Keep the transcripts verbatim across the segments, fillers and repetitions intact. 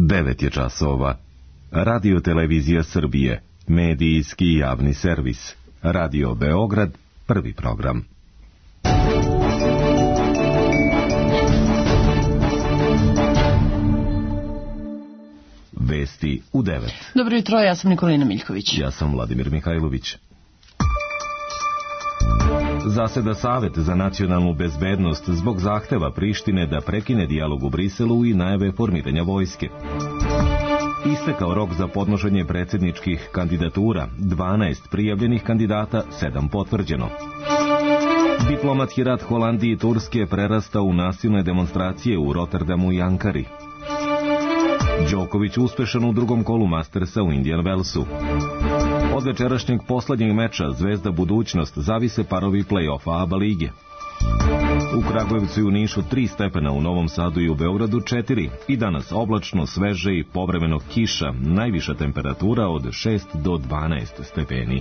devet je časova. Radio Televizija Srbije, medijski javni servis. Radio Beograd, prvi program. Vesti u devet. Dobro jutro, ja sam Nikolina Miljković. Ja sam Vladimir Mihajlović. Zaseda Savet za nacionalnu bezbednost zbog zahteva Prištine da prekine dijalog u Briselu i najave formiranja vojske. Istekao rok za podnošenje predsjedničkih kandidatura, dvanaest prijavljenih kandidata, sedam potvrđeno. Diplomatski rat Holandije i Turske prerasta u nasilne demonstracije u Rotterdamu i Ankari. Đoković uspešan u drugom kolu Mastersa u Indian Wellsu. Od večerašnjeg poslednjeg meča Zvezda Budućnost zavise parovi play-offa ABA lige. U Kragujevcu i u Nišu tri stepena, u Novom Sadu i u Beogradu četiri. I danas oblačno, sveže i povremeno kiša, najviša temperatura od šest do dvanaest stepeni.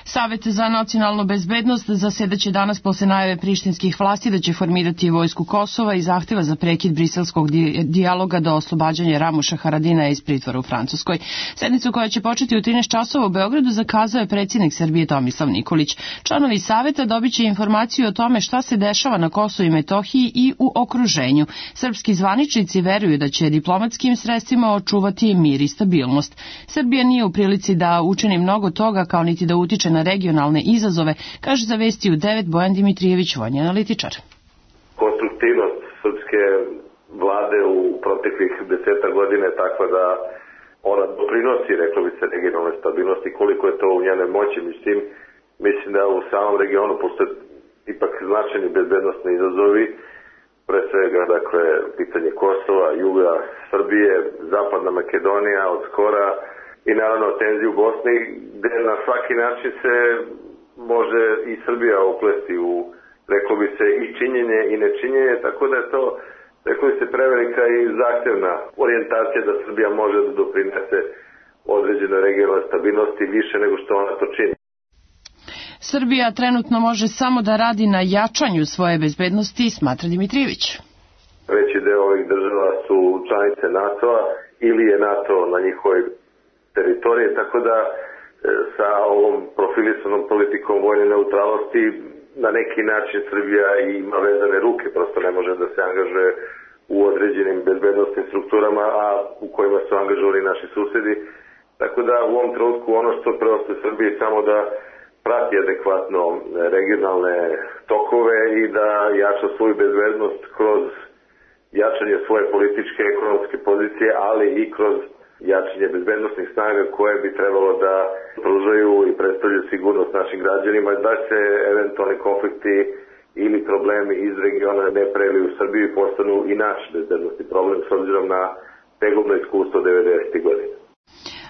Savet za nacionalnu bezbednost zasedaće danas posle najave prištinskih vlasti da će formirati vojsku Kosova i zahteva za prekid briselskog dijaloga do oslobađanja Ramuša Haradinaja iz pritvora u Francuskoj. Sednicu koja će početi u trinaest časova u Beogradu zakazao je predsjednik Srbije Tomislav Nikolić. Članovi saveta dobit će informaciju o tome šta se dešava na Kosovu i Metohiji i u okruženju. Srpski zvaničnici veruju da će diplomatskim sredstvima očuvati mir i stabilnost. Srbija nije u prilici da učini mnogo toga, kao niti da utiče na regionalne izazove, kaže za Vesti u devet Bojan Dimitrijević, vojni analitičar. Konstruktivnost srpske vlade u proteklih deseta godina je takva da ona doprinosi, reklo bi se, regionalne stabilnosti, koliko je to u njenoj moći. Mislim, mislim da u samom regionu postoje ipak značajni bezbednostni izazovi, pre svega, dakle, pitanje Kosova, juga Srbije, zapadna Makedonija od skora, i naravno tenziju u Bosni, gde na svaki način se može i Srbija uplesti u, reklo bi se, i činjenje i nečinjenje, tako da je to, reklo bi se, prevelika i zahtevna orijentacija da Srbija može da doprinese određenoj regionalnoj stabilnosti više nego što ona to čini. Srbija trenutno može samo da radi na jačanju svoje bezbednosti, smatra Dimitrijević. Veći deo ovih država su članice NATO-a ili je NATO na njihovoj teritorije, tako da e, sa ovom profilisanom politikom vojne neutralnosti na neki način Srbija ima vezane ruke, prosto ne može da se angažuje u određenim bezbednostnim strukturama, a u kojima su angažovani naši susedi. Tako da u ovom trenutku ono što preostaje Srbiji samo da prati adekvatno regionalne tokove i da jača svoju bezbednost kroz jačanje svoje političke i ekonomske pozicije, ali i kroz jačanje bezbednostnih snaga koje bi trebalo da pružaju i predstavljaju sigurnost našim građanima, da se eventualni konflikti ili problemi iz regiona ne preliju u Srbiju i postanu i naš bezbednostni problem s obzirom na tegobno iskustvo devedesetih godina.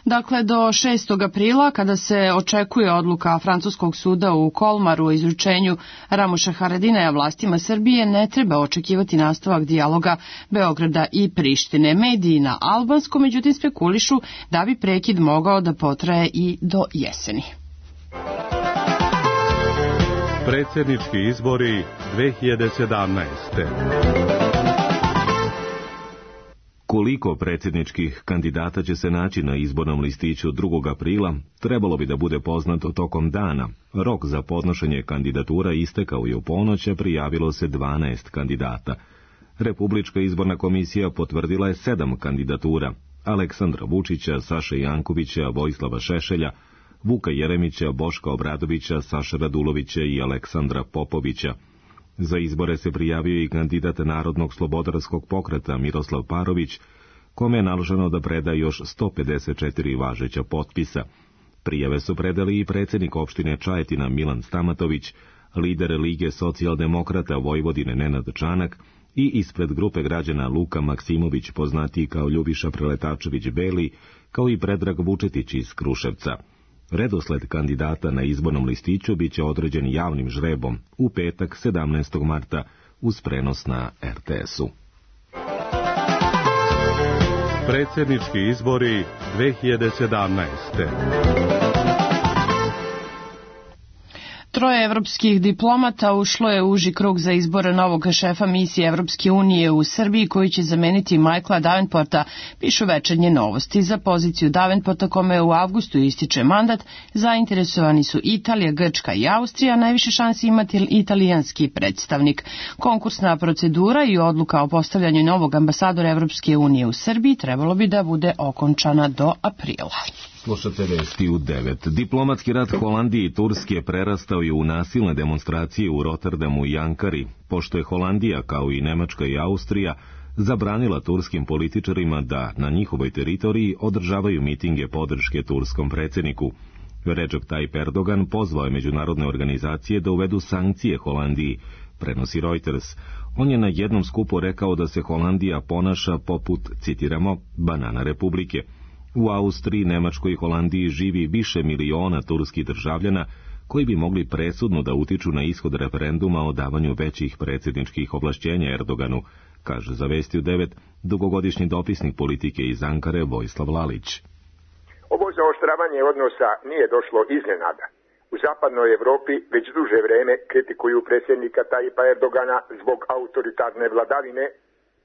Dakle, do šestog aprila, kada se očekuje odluka francuskog suda u Kolmaru o izručenju Ramuša Haradinaja vlastima Srbije, ne treba očekivati nastavak dijaloga Beograda i Prištine. Mediji na albanskom, međutim, spekulišu da bi prekid mogao da potraje i do jeseni. Predsjednički izbori dve hiljade sedamnaeste. Koliko predsjedničkih kandidata će se naći na izbornom listiću drugog aprila, trebalo bi da bude poznato tokom dana. Rok za podnošenje kandidatura istekao je u ponoć, a prijavilo se dvanaest kandidata. Republička izborna komisija potvrdila je sedam kandidatura: Aleksandra Vučića, Saše Jankovića, Vojislava Šešelja, Vuka Jeremića, Boška Obradovića, Saše Radulovića i Aleksandra Popovića. Za izbore se prijavio i kandidat Narodnog slobodarskog pokreta Miroslav Parović, kome je naloženo da preda još sto pedeset četiri važeća potpisa. Prijave su predali i predsjednik opštine Čajetina Milan Stamatović, lider Lige socijaldemokrata Vojvodine Nenad Čanak i ispred grupe građana Luka Maksimović, poznatiji kao Ljubiša Preletačević Beli, kao i Predrag Vučetić iz Kruševca. Redosled kandidata na izbornom listiću biće određen javnim žrebom u petak sedamnaestog marta uz prenos na er te esu. Predsjednički izbori dve hiljade sedamnaeste. Troje evropskih diplomata ušlo je u uži krug za izbor novog šefa misije Evropske unije u Srbiji koji će zameniti Michaela Davenporta, pišu Večernje novosti. Za poziciju Davenporta, kome u avgustu ističe mandat, zainteresovani su Italija, Grčka i Austrija, najviše šansi imati italijanski predstavnik. Konkursna procedura i odluka o postavljanju novog ambasadora Evropske unije u Srbiji trebalo bi da bude okončana do aprila. Slušate vesti u devet. Diplomatski rat Holandije i Turske prerastao je u nasilne demonstracije u Rotterdamu i Ankari, pošto je Holandija, kao i Nemačka i Austrija, zabranila turskim političarima da na njihovoj teritoriji održavaju mitinge podrške turskom predsjedniku. Recep Tayyip Erdogan pozvao je međunarodne organizacije da uvedu sankcije Holandiji, prenosi Reuters. On je na jednom skupu rekao da se Holandija ponaša poput, citiramo, banana republike. U Austriji, Nemačkoj i Holandiji živi više miliona turskih državljana koji bi mogli presudno da utiču na ishod referenduma o davanju većih predsjedničkih ovlašćenja Erdoganu, kaže za Vesti u devet dugogodišnji dopisnik politike iz Ankare Vojislav Lalić. Ovo zaoštravanje odnosa nije došlo iznenada. U zapadnoj Evropi već duže vreme kritikuju predsjednika Tayyipa Erdogana zbog autoritarne vladavine,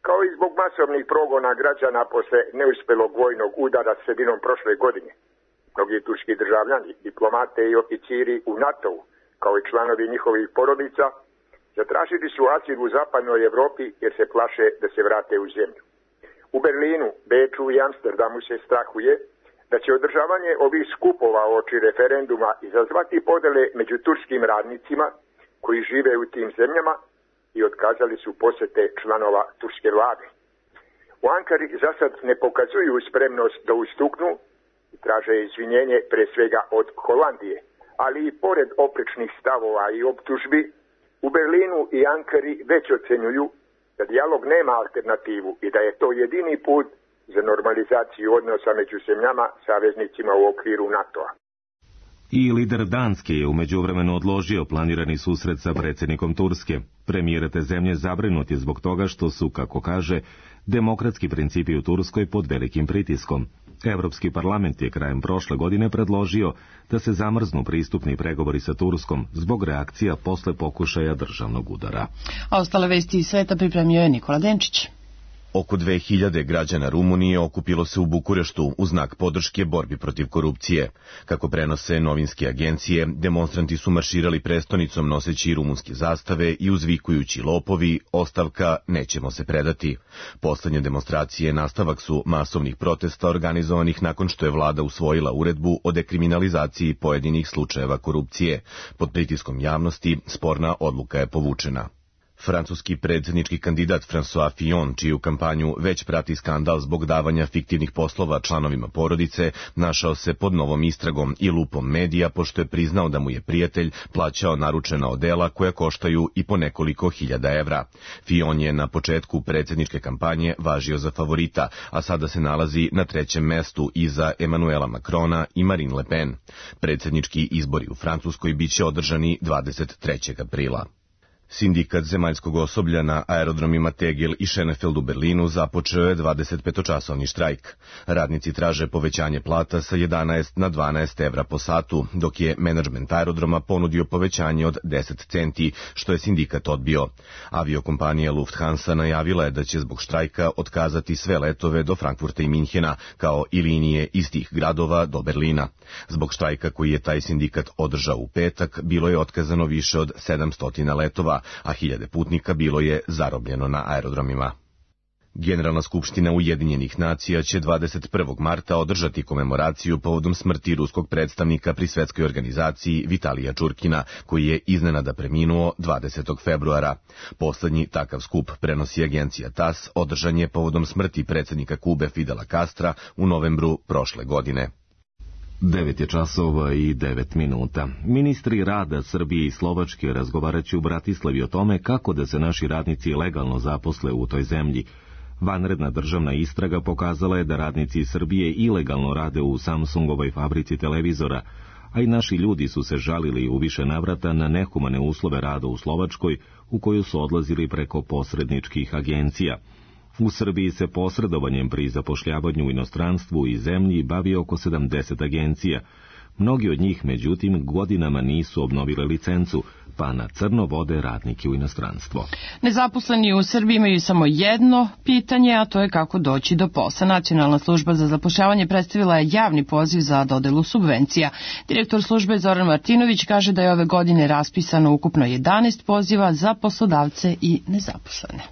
kao i zbog masovnih progona građana posle neuspelog vojnog udara sredinom prošle godine. Mnogi turski državljani, diplomate i oficiri u NATO-u, kao i članovi njihovih porodica, zatražili su azil u zapadnoj Evropi jer se plaše da se vrate u zemlju. U Berlinu, Beču i Amsterdamu se strahuje da će održavanje ovih skupova oči referenduma izazvati podele među turskim radnicima koji žive u tim zemljama i otkazali su posete članova turske vlade. U Ankari za sad ne pokazuju spremnost da ustuknu i traže izvinjenje pre svega od Holandije, ali i pored oprečnih stavova i optužbi, u Berlinu i Ankari već ocenjuju da dijalog nema alternativu i da je to jedini put za normalizaciju odnosa među zemljama saveznicima u okviru NATO-a. I lider Danske je u međuvremenu odložio planirani susret sa predsjednikom Turske. Premijer te zemlje zabrinut je zbog toga što su, kako kaže, demokratski principi u Turskoj pod velikim pritiskom. Evropski parlament je krajem prošle godine predložio da se zamrznu pristupni pregovori sa Turskom zbog reakcija posle pokušaja državnog udara. A ostale vesti iz sveta pripremio je Nikola Denčić. Oko dve hiljade građana Rumunije okupilo se u Bukureštu u znak podrške borbi protiv korupcije. Kako prenose novinske agencije, demonstranti su marširali prestonicom noseći rumunske zastave i uzvikujući lopovi, ostavka, nećemo se predati. Poslednje demonstracije nastavak su masovnih protesta organizovanih nakon što je vlada usvojila uredbu o dekriminalizaciji pojedinih slučajeva korupcije. Pod pritiskom javnosti sporna odluka je povučena. Francuski predsjednički kandidat François Fillon, čiju kampanju već prati skandal zbog davanja fiktivnih poslova članovima porodice, našao se pod novom istragom i lupom medija, pošto je priznao da mu je prijatelj plaćao naručena odela koja koštaju i po nekoliko hiljada evra. Fillon je na početku predsjedničke kampanje važio za favorita, a sada se nalazi na trećem mestu iza Emanuela Macrona i Marine Le Pen. Predsjednički izbori u Francuskoj biće održani dvadeset trećeg aprila. Sindikat zemaljskog osoblja na aerodromima Tegel i Schönefeld u Berlinu započeo je dvadesetpetočasovni štrajk. Radnici traže povećanje plata sa jedanaest na dvanaest evra po satu, dok je menadžment aerodroma ponudio povećanje od deset centi, što je sindikat odbio. Aviokompanija Lufthansa najavila je da će zbog štrajka otkazati sve letove do Frankfurta i Minhena, kao i linije iz tih gradova do Berlina. Zbog štrajka koji je taj sindikat održao u petak, bilo je otkazano više od sedamsto letova, a hiljade putnika bilo je zarobljeno na aerodromima. Generalna skupština Ujedinjenih nacija će dvadeset prvog marta održati komemoraciju povodom smrti ruskog predstavnika pri svetskoj organizaciji Vitalija Čurkina, koji je iznenada preminuo dvadesetog februara. Poslednji takav skup, prenosi agencija T A S, održan je povodom smrti predsjednika Kube Fidela Castra u novembru prošle godine. Devet je časova i devet minuta. Ministri rada Srbije i Slovačke razgovaraće u Bratislavi o tome kako da se naši radnici legalno zaposle u toj zemlji. Vanredna državna istraga pokazala je da radnici Srbije ilegalno rade u Samsungovoj fabrici televizora, a i naši ljudi su se žalili u više navrata na nehumane uslove rada u Slovačkoj, u koju su odlazili preko posredničkih agencija. U Srbiji se posredovanjem pri zapošljavanju u inostranstvu i zemlji bavi oko sedamdeset agencija. Mnogi od njih, međutim, godinama nisu obnovile licencu, pa na crno vode radnike u inostranstvo. Nezaposleni u Srbiji imaju samo jedno pitanje, a to je kako doći do posla. Nacionalna služba za zapošljavanje predstavila je javni poziv za dodelu subvencija. Direktor službe Zoran Martinović kaže da je ove godine raspisano ukupno jedanaest poziva za poslodavce i nezaposlene.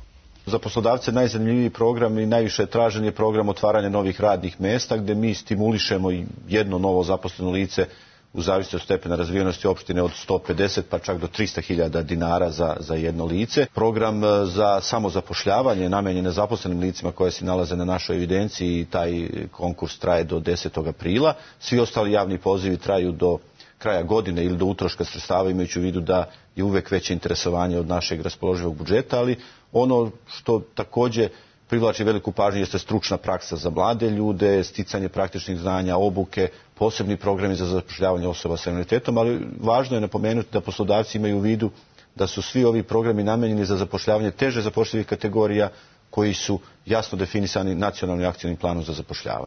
Za poslodavce najzanimljiviji program i najviše tražen je program otvaranja novih radnih mesta, gde mi stimulišemo jedno novo zaposleno lice u zavisnosti od stepena razvijenosti opštine od sto pedeset pa čak do trista hiljada dinara za, za jedno lice. Program za samozapošljavanje namenjen nezaposlenim licima koje se nalaze na našoj evidenciji i taj konkurs traje do desetog aprila. Svi ostali javni pozivi traju do kraja godine ili do utroška sredstava, imajući u vidu da je uvek veće interesovanje od našeg raspoloživog budžeta, ali ono što takođe privlači veliku pažnju jeste stručna praksa za mlade ljude, sticanje praktičnih znanja, obuke, posebni programi za zapošljavanje osoba sa invaliditetom, ali važno je napomenuti da poslodavci imaju u vidu da su svi ovi programi namenjeni za zapošljavanje teže zapošljivih kategorija koji su jasno definisani nacionalnim akcijnim planom za zapošljavanje.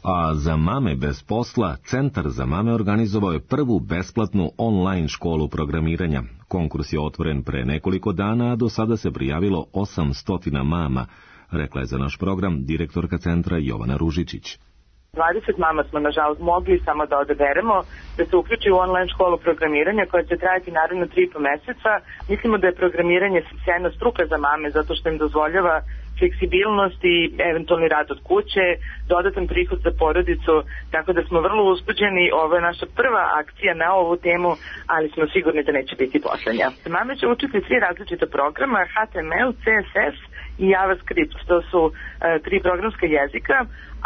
A za mame bez posla, Centar za mame organizovao je prvu besplatnu online školu programiranja. Konkurs je otvoren pre nekoliko dana, a do sada se prijavilo osamsto mama, rekla je za naš program direktorka centra Jovana Ružičić. dvadeset mama smo nažalost mogli samo da odaberemo da se uključi u online školu programiranja koja će trajati naravno tri i po meseca. Mislimo da je programiranje sjajna struka za mame zato što im dozvoljava fleksibilnost i eventualni rad od kuće, dodatan prihod za porodicu, tako da smo vrlo uzbuđeni. Ovo je naša prva akcija na ovu temu, ali smo sigurni da neće biti poslednja. Mame će učiti tri različita programa, H T M L, C S S i JavaScript, to su uh, tri programska jezika,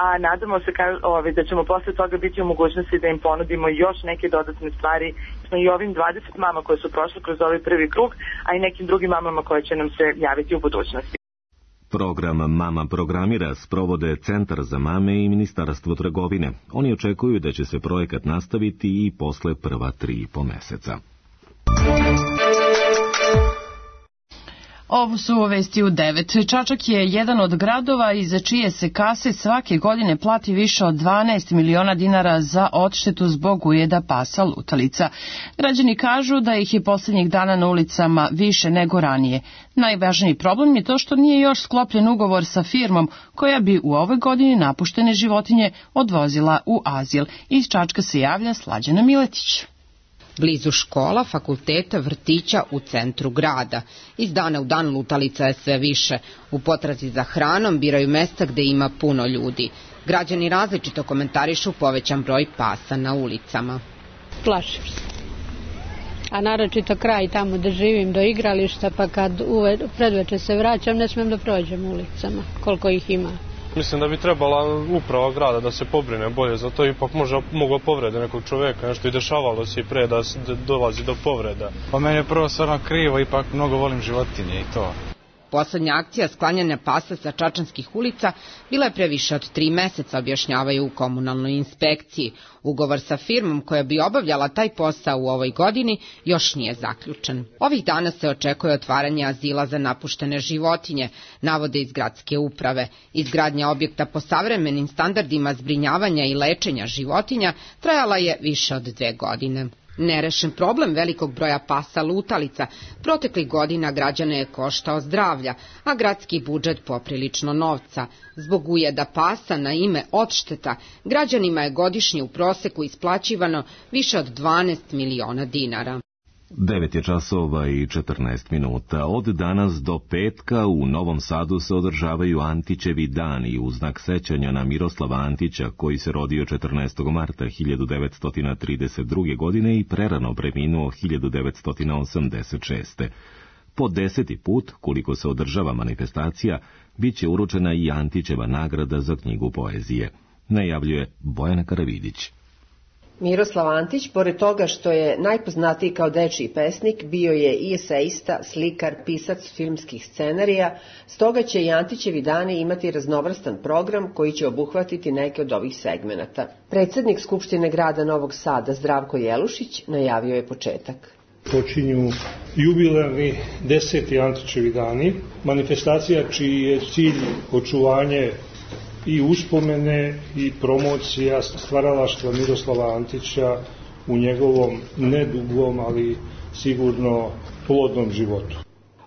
a nadamo se ka, ovaj, da ćemo posle toga biti u mogućnosti da im ponudimo još neke dodatne stvari. Smo i ovim dvadeset mama koje su prošle kroz ovaj prvi krug, a i nekim drugim mamama koje će nam se javiti u budućnosti. Program Mama programira sprovode Centar za mame i Ministarstvo trgovine. Oni očekuju da će se projekat nastaviti i posle prva tri i po meseca. Ovo su vesti u devet. Čačak je jedan od gradova iza čije se kase svake godine plati više od dvanaest miliona dinara za odštetu zbog ujeda pasa lutalica. Građani kažu da ih je poslednjih dana na ulicama više nego ranije. Najvažniji problem je to što nije još sklopljen ugovor sa firmom koja bi u ovoj godini napuštene životinje odvozila u azil. Iz Čačka se javlja Slađana Miletić. Blizu škola, fakulteta, vrtića u centru grada. Iz dana u dan lutalica je sve više. U potrazi za hranom biraju mesta gde ima puno ljudi. Građani različito komentarišu povećan broj pasa na ulicama. Plašim se. A naročito kraj tamo da živim do igrališta, pa kad uve, predveče se vraćam, ne smem da prođem ulicama, koliko ih ima. Mislim da bi trebala uprava grada da se pobrine bolje, zato ipak možda mogu povrede nekog čoveka, nešto i dešavalo se i pre da dolazi do povreda. Pa meni je prvo stvarno krivo, ipak mnogo volim životinje i to. Poslednja akcija sklanjanja pasa sa čačanskih ulica bila je pre više od tri meseca, objašnjavaju u komunalnoj inspekciji. Ugovor sa firmom koja bi obavljala taj posao u ovoj godini još nije zaključen. Ovih dana se očekuje otvaranje azila za napuštene životinje, navode iz gradske uprave. Izgradnja objekta po savremenim standardima zbrinjavanja i lečenja životinja trajala je više od dve godine. Nerešen problem velikog broja pasa lutalica proteklih godina građane je koštao zdravlja, a gradski budžet poprilično novca. Zbog ujeda pasa na ime odšteta, građanima je godišnje u proseku isplaćivano više od dvanaest miliona dinara. devet je časova i četrnaest minuta. Od danas do petka u Novom Sadu se održavaju Antićevi dani u znak sećanja na Miroslava Antića, koji se rodio četrnaestog marta hiljadu devetsto trideset druge. godine i prerano preminuo hiljadu devetsto osamdeset šeste. Po deseti put, koliko se održava manifestacija, bit će uručena i Antićeva nagrada za knjigu poezije. Najavljuje Bojana Karavidić. Miroslav Antić, pored toga što je najpoznatiji kao dečiji pesnik, bio je i eseista, slikar, pisac filmskih scenarija, stoga će i Antićevi dani imati raznovrstan program koji će obuhvatiti neke od ovih segmenata. Predsednik Skupštine grada Novog Sada, Zdravko Jelušić, najavio je početak. Počinju jubilarni deseti Antićevi dani, manifestacija čiji je cilj očuvanje i uspomene i promocija stvaralaštva Miroslava Antića u njegovom nedugom, ali sigurno plodnom životu.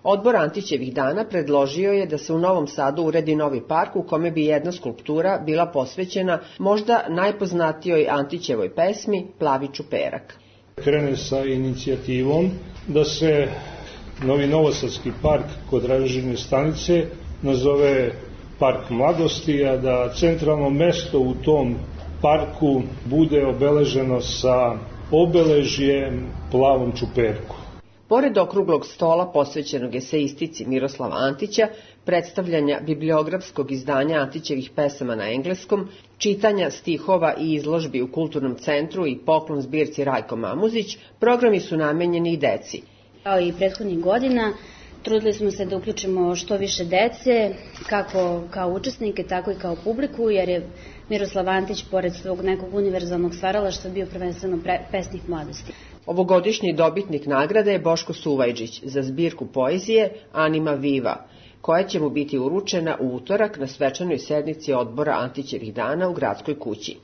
Odbor Antićevih dana predložio je da se u Novom Sadu uredi novi park u kome bi jedna skulptura bila posvećena možda najpoznatijoj Antićevoj pesmi Plavi čuperak. Krene sa inicijativom da se novi novosadski park kod Ražine stanice nazove Park mladosti, a da centralno mesto u tom parku bude obeleženo sa obeležjem Plavom čuperku. Pored okruglog stola posvećenog eseistici Miroslava Antića, predstavljanja bibliografskog izdanja Antićevih pesama na engleskom, čitanja stihova i izložbi u Kulturnom centru i poklon zbirci Rajko Mamuzić, programi su namenjeni i deci. Kao i prethodnih godina, trudili smo se da uključimo što više dece, kako kao učesnike, tako i kao publiku, jer je Miroslav Antić, pored svog nekog univerzalnog stvaralaštva, bio prvenstveno pesnik mladosti. Ovogodišnji dobitnik nagrade je Boško Suvajđić za zbirku poezije Anima Viva, koja će mu biti uručena u utorak na svečanoj sednici odbora Antićevih dana u Gradskoj kući.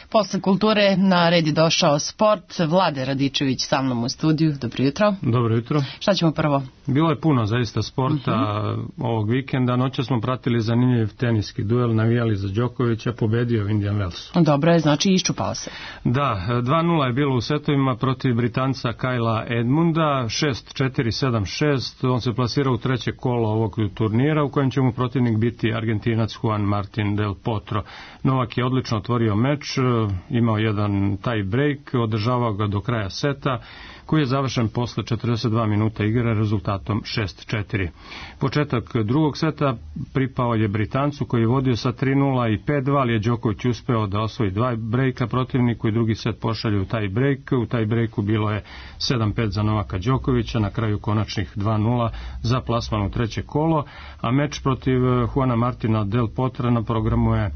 Posle kulture na red je došao sport. Vlade Radičević sa mnom u studiju. Dobro jutro. Dobro jutro. Šta ćemo prvo? Bilo je puno zaista sporta uh-huh. ovog vikenda. Noća smo pratili zanimljiv teniski duel, navijali za Đokovića, pobedio Indian Wells. Dobro je, znači iščupao se. Da, dva nula je bilo u setovima protiv Britanca Kyla Edmunda, šest četiri sedam šest. On se plasirao u treće kolo ovog turnira, u kojem će mu protivnik biti Argentinac Juan Martin del Potro. Novak je odlično otvorio meč, imao jedan tie break, održavao ga do kraja seta, koji je završen posle četrdeset dva minuta igre rezultatom šest četiri. Početak drugog seta pripao je Britancu, koji je vodio sa tri nula i pet dva, ali je Đoković uspeo da osvoji dva brejka protivniku i drugi set pošalje u taj break. U taj breaku bilo je sedam pet za Novaka Đokovića, na kraju konačnih dva nula za plasman u treće kolo, a meč protiv Juana Martina del Potra na programu je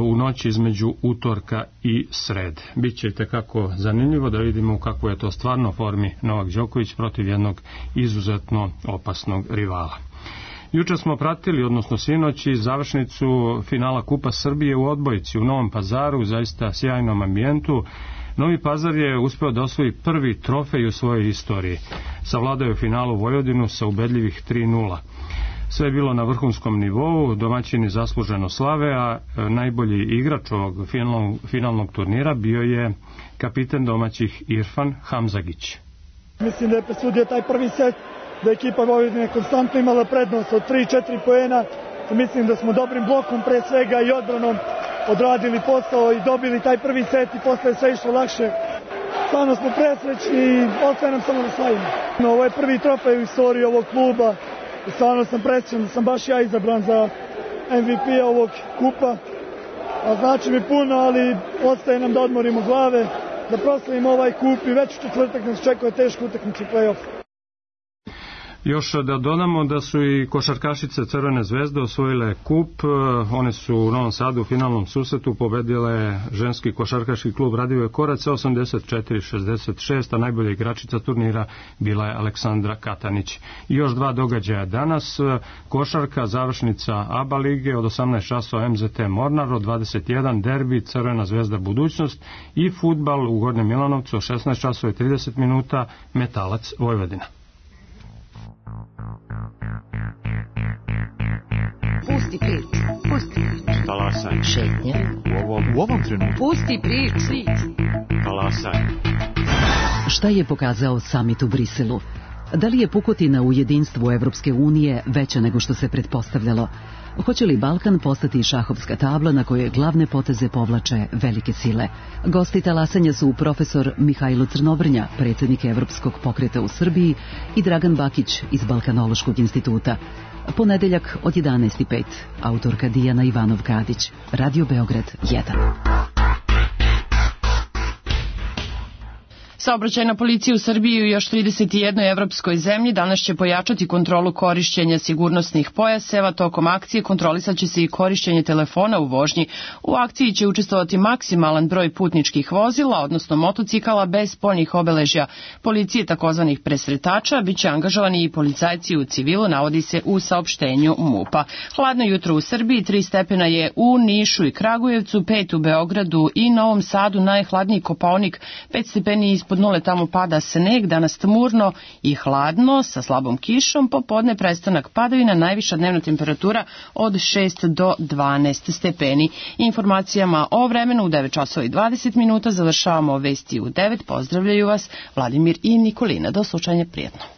u noći između utorka i srede. Biće tekako zanimljivo da vidimo kako je to stvarno formi Novak Đoković protiv jednog izuzetno opasnog rivala. Juče smo pratili, odnosno sinoći, završnicu finala Kupa Srbije u odbojci u Novom Pazaru, u zaista sjajnom ambijentu. Novi Pazar je uspeo da osvoji prvi trofej u svojoj istoriji. Savladao je u finalu Vojvodinu sa ubedljivih tri nula. Sve je bilo na vrhunskom nivou, domaćini zasluženo slave, a najbolji igrač ovog finalnog, finalnog turnira bio je kapiten domaćih Irfan Hamzagić. Mislim da je presudio taj prvi set, da je ekipa Vojvodine konstantno imala prednost od tri četiri poena. Mislim da smo dobrim blokom pre svega i odbranom odradili posao i dobili taj prvi set i posle je sve išlo lakše. Stvarno smo presrećni i ostaje nam samo da slavimo. Ovo je prvi trofej u istoriji ovog kluba. I stvarno sam presrećan da sam baš ja izabran za M V P ovog kupa. A znači mi puno, ali ostaje nam da odmorimo glave, da proslavimo ovaj kup i već u četvrtak nas čekuje teško utakmicu play-off. Još da dodamo da su i košarkašice Crvene zvezde osvojile kup. One su u Novom Sadu u finalnom susretu pobedile ženski košarkaški klub Radivoje Korac osamdeset četiri šezdeset šest, a najbolja igračica turnira bila je Aleksandra Katanić. I još dva događaja danas. Košarka, završnica A B A lige od osamnaest časova M Z T Mornar, od dvadeset jedan derbi Crvena zvezda Budućnost i fudbal u Gornjem Milanovcu od šesnaest časova i trideset minuta Metalac Vojvodina. Pusti priču, pusti priču. Talasaj. Šetnje. U ovom, u ovom trenutku. Pusti priču. Talasaj. Šta je pokazao samit u Briselu? Da li je pukotina u jedinstvu Evropske unije veća nego što se pretpostavljalo? Hoće li Balkan postati šahovska tabla na kojoj glavne poteze povlače velike sile? Gosti talasanja su profesor Mihajlo Crnobrnja, predsjednik Evropskog pokreta u Srbiji, i Dragan Bakić iz Balkanološkog instituta. Ponedeljak od jedanaest i pet, autorka Dijana Ivanov-Kadić, Radio Beograd jedan. Saobraćajna policija u Srbiji i u još trideset jednoj evropskoj zemlji danas će pojačati kontrolu korišćenja sigurnosnih pojaseva. Tokom akcije kontrolisat će se i korišćenje telefona u vožnji. U akciji će učestvovati maksimalan broj putničkih vozila, odnosno motocikala bez spoljnih obeležja policije takozvanih presretača. Biće angažovani i policajci u civilu, navodi se u saopštenju MUP-a. Hladno jutro u Srbiji, tri stepena je u Nišu i Kragujevcu, pet u Beogradu i Novom Sadu, najhladniji Kopaonik, pet stepeni ispod nule, tamo pada sneg, danas tmurno i hladno sa slabom kišom, popodne prestanak padavina, najviša dnevna temperatura od šest do dvanaest stepeni. Informacijama o vremenu u devet časova i dvadeset minuta završavamo vesti u devet. Pozdravljaju vas Vladimir i Nikolina. Do slušanja, prijetno.